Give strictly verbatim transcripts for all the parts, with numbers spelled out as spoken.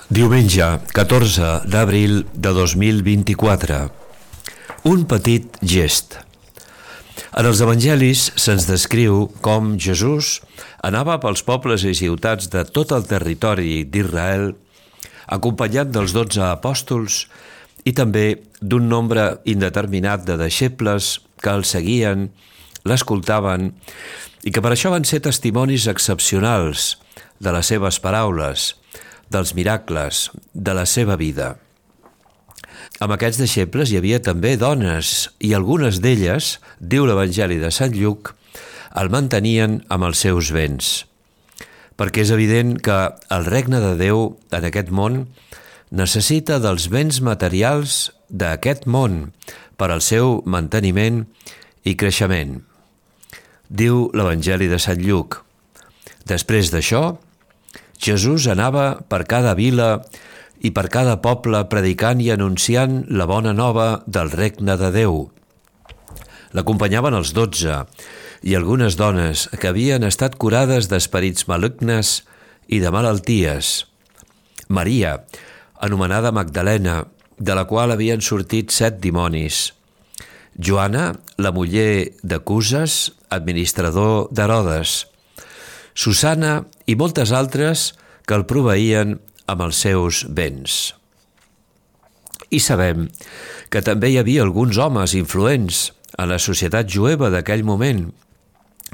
Diumenge, catorze d'abril de dos mil vint-i-quatre. Un petit gest. En els evangelis se'ns descriu com Jesús anava pels pobles i ciutats de tot el territori d'Israel, acompanyat dels dotze apòstols i també d'un nombre indeterminat de deixebles que el seguien, l'escoltaven i que per això van ser testimonis excepcionals de les seves paraules, dels miracles, de la seva vida. Amb aquests deixebles hi havia també dones i algunes d'elles, diu l'Evangeli de Sant Lluc, el mantenien amb els seus béns. Perquè és evident que el regne de Déu en aquest món necessita dels béns materials d'aquest món per al seu manteniment i creixement. Diu l'Evangeli de Sant Lluc. Després d'això, Jesús anava per cada vila i per cada poble predicant i anunciant la bona nova del regne de Déu. L'acompanyaven els dotze i algunes dones que havien estat curades d'esperits malignes i de malalties. Maria, anomenada Magdalena, de la qual havien sortit set dimonis. Joana, la muller de Cuses, administrador d'Herodes. Susana i moltes altres que el proveïen amb els seus béns. I sabem que també hi havia alguns homes influents en la societat jueva d'aquell moment,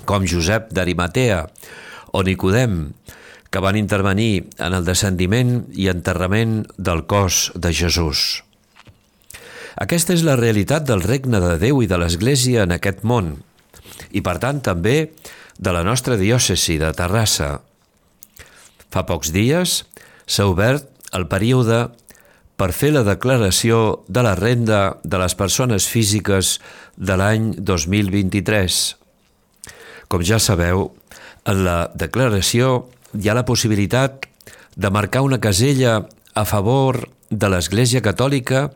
com Josep d'Arimatea o Nicodem, que van intervenir en el descendiment i enterrament del cos de Jesús. Aquesta és la realitat del regne de Déu i de l'Església en aquest món, i per tant també de la nostra diòcesi de Terrassa. Fa pocs dies s'ha obert el període per fer la declaració de la renda de les persones físiques de l'any dos mil vint-i-tres. Com ja sabeu, en la declaració hi ha la possibilitat de marcar una casella a favor de l'Església Catòlica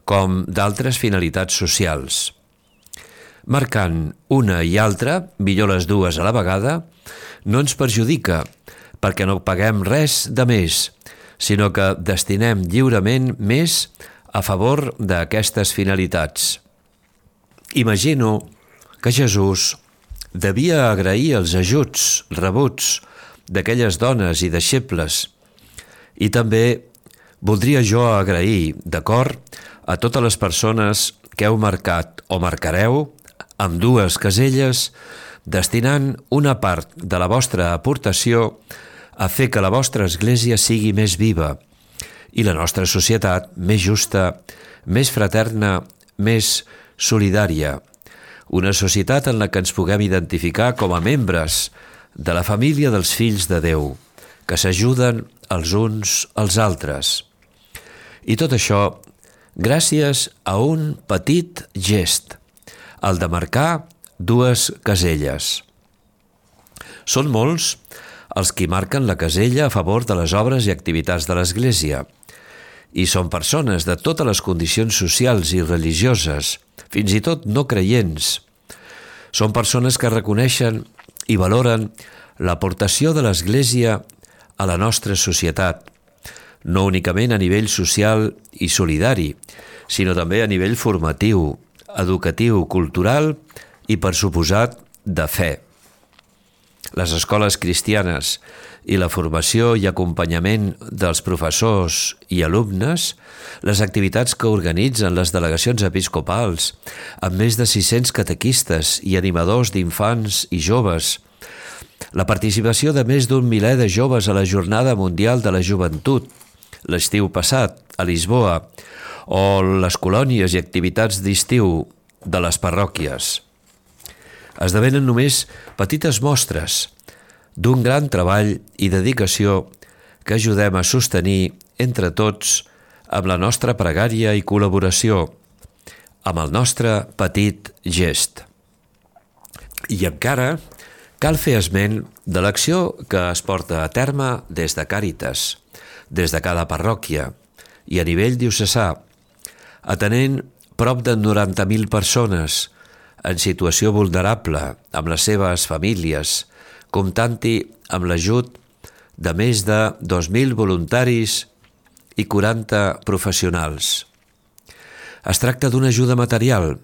com d'altres finalitats socials. Marcant una i altra, millor les dues a la vegada, no ens perjudica, perquè no paguem res de més, sinó que destinem lliurement més a favor d'aquestes finalitats. Imagino que Jesús devia agrair els ajuts rebuts d'aquelles dones i deixebles, i també voldria jo agrair, d'acord, a totes les persones que heu marcat o marcareu amb dues caselles, destinant una part de la vostra aportació a fer que la vostra església sigui més viva i la nostra societat més justa, més fraterna, més solidària. Una societat en la que ens puguem identificar com a membres de la família dels fills de Déu, que s'ajuden els uns als altres. I tot això gràcies a un petit gest, el de marcar dues caselles. Són molts els qui marquen la casella a favor de les obres i activitats de l'Església, i són persones de totes les condicions socials i religioses, fins i tot no creients. Són persones que reconeixen i valoren l'aportació de l'Església a la nostra societat, no únicament a nivell social i solidari, sinó també a nivell formatiu, educatiu, cultural i, per suposat, de fe. Les escoles cristianes i la formació i acompanyament dels professors i alumnes, les activitats que organitzen les delegacions episcopals, amb més de sis-cents catequistes i animadors d'infants i joves, la participació de més d'un miler de joves a la Jornada Mundial de la Joventut, l'estiu passat, a Lisboa, o les colònies i activitats d'estiu de les parròquies. Esdevenen només petites mostres d'un gran treball i dedicació que ajudem a sostenir entre tots amb la nostra pregària i col·laboració, amb el nostre petit gest. I encara cal fer esment de l'acció que es porta a terme des de Càritas, des de cada parròquia i a nivell diocesà, atenent prop de noranta mil persones en situació vulnerable amb les seves famílies, comptant-hi amb l'ajut de més de dos mil voluntaris i quaranta professionals. Es tracta d'una ajuda material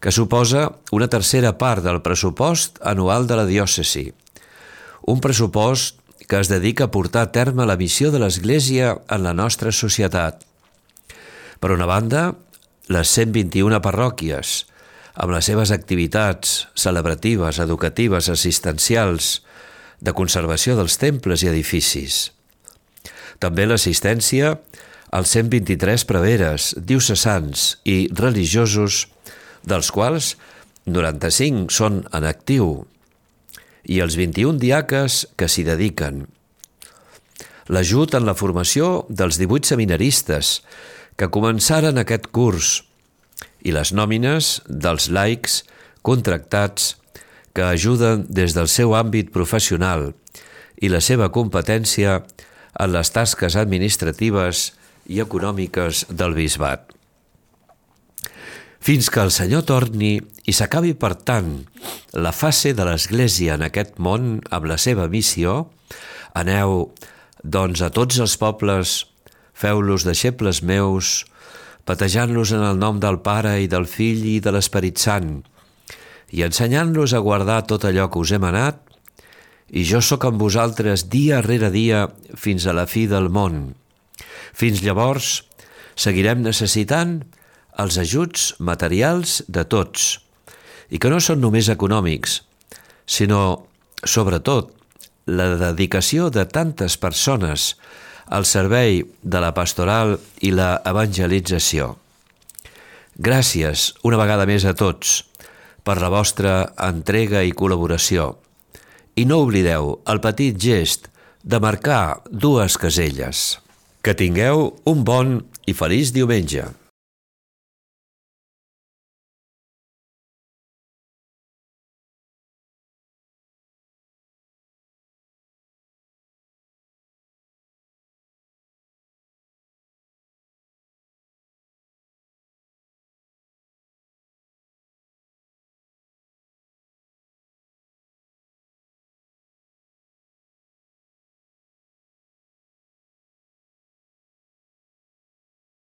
que suposa una tercera part del pressupost anual de la diòcesi, un pressupost que es dedica a portar a terme la missió de l'Església en la nostra societat. Per una banda, les cent vint-i-una parròquies, amb les seves activitats celebratives, educatives, assistencials, de conservació dels temples i edificis. També l'assistència als cent vint-i-tres preveres, diocesans i religiosos, dels quals noranta-cinc són en actiu, i els vint-i-un diaques que s'hi dediquen. L'ajut en la formació dels divuit seminaristes que començaren aquest curs i les nòmines dels laics contractats que ajuden des del seu àmbit professional i la seva competència en les tasques administratives i econòmiques del bisbat. Fins que el Senyor torni i s'acabi, per tant, la fase de l'Església en aquest món amb la seva missió, aneu, doncs, a tots els pobles, feu-los deixebles meus, batejant-los en el nom del Pare i del Fill i de l'Esperit Sant, i ensenyant-los a guardar tot allò que us he manat, i jo sóc amb vosaltres dia rere dia fins a la fi del món. Fins llavors, seguirem necessitant els ajuts materials de tots, i que no són només econòmics, sinó, sobretot, la dedicació de tantes persones al servei de la pastoral i la evangelització. Gràcies una vegada més a tots per la vostra entrega i col·laboració. I no oblideu el petit gest de marcar dues caselles. Que tingueu un bon i feliç diumenge.